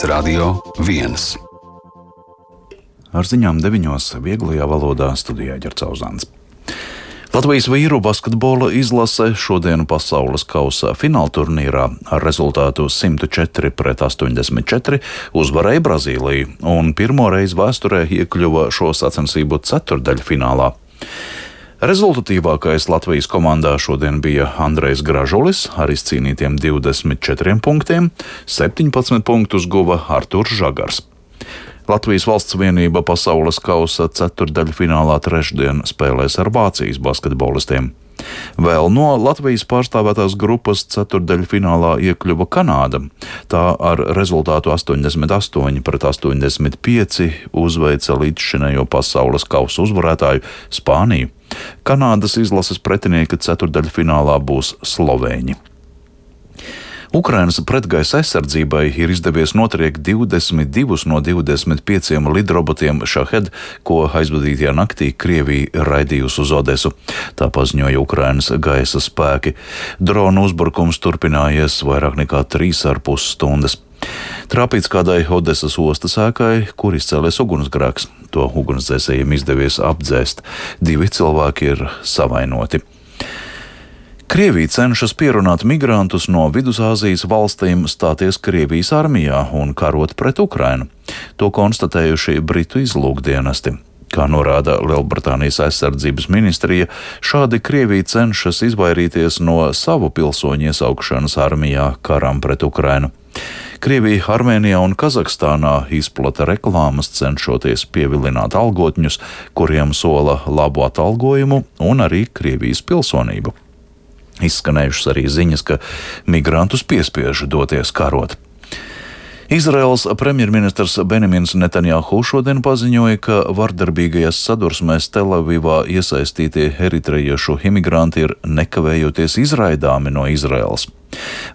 Radio 1. Ar ziņām 9. vieglajā valodā studijā Ģercauzāns. Latvijas vīru basketbola izlase šodien pasaules kausa finālturnīrā ar rezultātu 104-84 uzvarēja Brazīliju un pirmo reizi vēsturē iekļuva šo sacensību ceturtdaļfinālā. Rezultatīvākais Latvijas komandā šodien bija Andrejs Gražulis ar izcīnītiem 24 punktiem, 17 punktus guva Arturs Žagars. Latvijas valsts vienība pasaules kausa ceturtdaļfinālā trešdien spēlēs ar Vācijas basketbolistiem. Vēl no Latvijas pārstāvētās grupas ceturtdaļfinālā iekļuva Kanāda. Tā ar rezultātu 88-85 uzveica līdzšinējo pasaules kausa uzvarētāju Spāniju. Kanādas izlases pretinieki ceturtdaļfinālā būs slovēņi. Ukrainas pretgaisa aizsardzībai ir izdevies notriekt 22 no 25 lidrobotiem Šahed, ko aizvadītajā naktī Krievija raidījusi uz Odesu. Tā paziņoja Ukrainas gaisa spēki. Drona uzbrukums turpinājies vairāk nekā 3,5 stundas. Trāpīts kādai Odesas ostas ēkai, kur izcēlies ugunsgrēks. To ugunsdzēsējiem izdevies apdzēst. 2 cilvēki ir savainoti. Krievija cenšas pierunāt migrantus no Vidusāzijas valstīm stāties Krievijas armijā un karot pret Ukrainu. To konstatējuši Britu izlūkdienesti. Kā norāda Lielbritānijas aizsardzības ministrija, šādi Krievija cenšas izvairīties no savu pilsoņu iesaukšanas armijā karam pret Ukrainu. Krievija Armēnijā un Kazahstānā izplata reklāmas, cenšoties pievilināt algotņus, kuriem sola labu atalgojumu un arī Krievijas pilsonību. Izskanējušas arī ziņas, ka migrantus piespiež doties karot. Izraels premjerministrs Benjamins Netanjahu šodien paziņoja, ka vardarbīgajās sadursmēs Telavivā iesaistītie eritrejiešu imigranti ir nekavējoties izraidāmi no Izraels.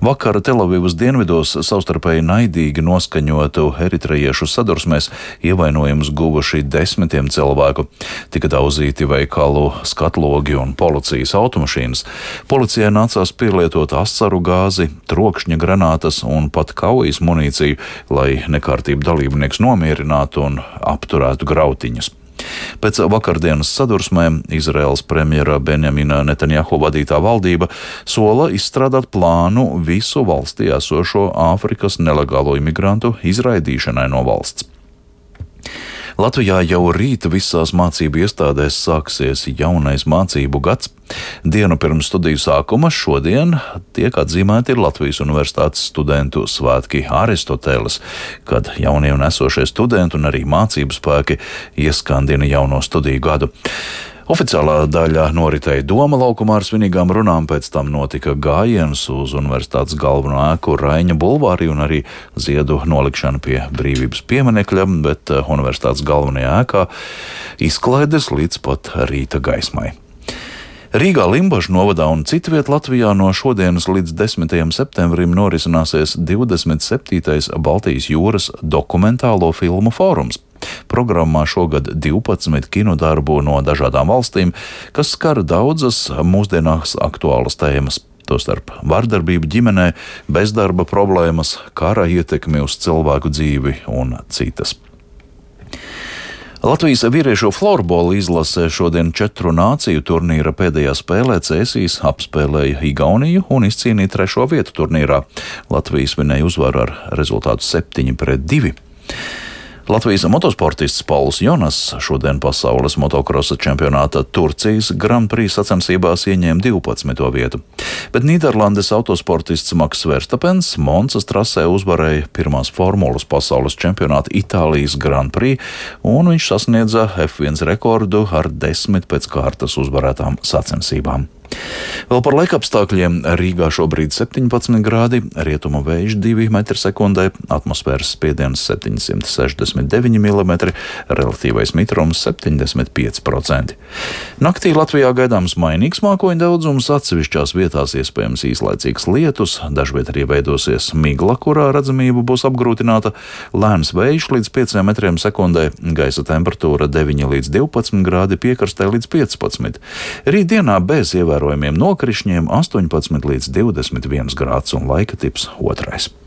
Vakar Telavivas dienvidos savstarpēji naidīgi noskaņotu eritrejiešu sadursmēs ievainojumus guvuši 10 cilvēku. Tika daudzīti veikalu skatlogi un policijas automašīnas. Policijai nācās pielietot asaru gāzi, trokšņa granātas un pat kaujas munīciju, lai nekārtību dalībnieks nomierinātu un apturētu grautiņus. Pēc vakardienas sadursmēm Izraels premjera Benjamina Netanjahu vadītā valdība sola izstrādāt plānu visu valstī esošo Āfrikas nelegālo imigrantu izraidīšanai no valsts. Latvijā jau rīt visās mācību iestādēs sāksies jaunais mācību gads. Dienu pirms studiju sākuma šodien tiek atzīmēti Latvijas Universitātes studentu svētki Aristoteles, kad jaunie un esošie studenti un arī mācību spēki ieskandina jauno studiju gadu. Oficiālā daļa noritēja Doma laukumā ar svinīgām runām, pēc tam notika gājiens uz universitātes galveno ēku Raiņa bulvārī un arī ziedu nolikšana pie Brīvības pieminekļa, bet universitātes galvenajā ēkā izklaides līdz pat rīta gaismai. Rīgā, Limbažu novadā un citviet Latvijā no šodienas līdz 10. septembrim norisināsies 27. Baltijas jūras dokumentālo filmu fórums. Programmā šogad 12 kinodarbu no dažādām valstīm, kas skar daudzas mūsdienās aktuālas tēmas, tostarp vardarbību ģimenē, bezdarba problēmas, kara ietekmi uz cilvēku dzīvi un citas. Latvijas vīriešu florbola izlase šodien 4 nāciju turnīra pēdējā spēlē Cēsīs apspēlēja Igauniju un izcīnīja 3. vietu turnīrā. Latvija svinēja uzvaru ar rezultātu 7-2. Latvijas motosportists Pauls Jonas šodien pasaules motokrosa čempionāta Turcijas Grand Prix sacensībās ieņēma 12. vietu, bet Nīderlandes autosportists Maks Verstapens Monsas trasē uzvarēja pirmās formulas pasaules čempionāta Itālijas Grand Prix, un viņš sasniedza F1 rekordu ar 10 pēc kārtas uzvarētām sacensībām. Vēl par laikapstākļiem. Rīgā šobrīd 17 grādi, rietumu vējš 2 m/sekundē, atmosfēras spiediens 769 mm, relatīvais mitrums 75%. Naktī Latvijā gaidāms mainīgs mākoņu daudzums, atsevišķās vietās iespējams īslaicīgs lietus, dažviet arī veidosies migla, kurā redzamība būs apgrūtināta, lēns vējš līdz 5 m/sekundē, gaisa temperatūra 9 līdz 12 grādi, piekrastē līdz 15. Rītdienā bez ievērojumiem nokrišņiem 18 līdz 21 grāds un laika tips 2.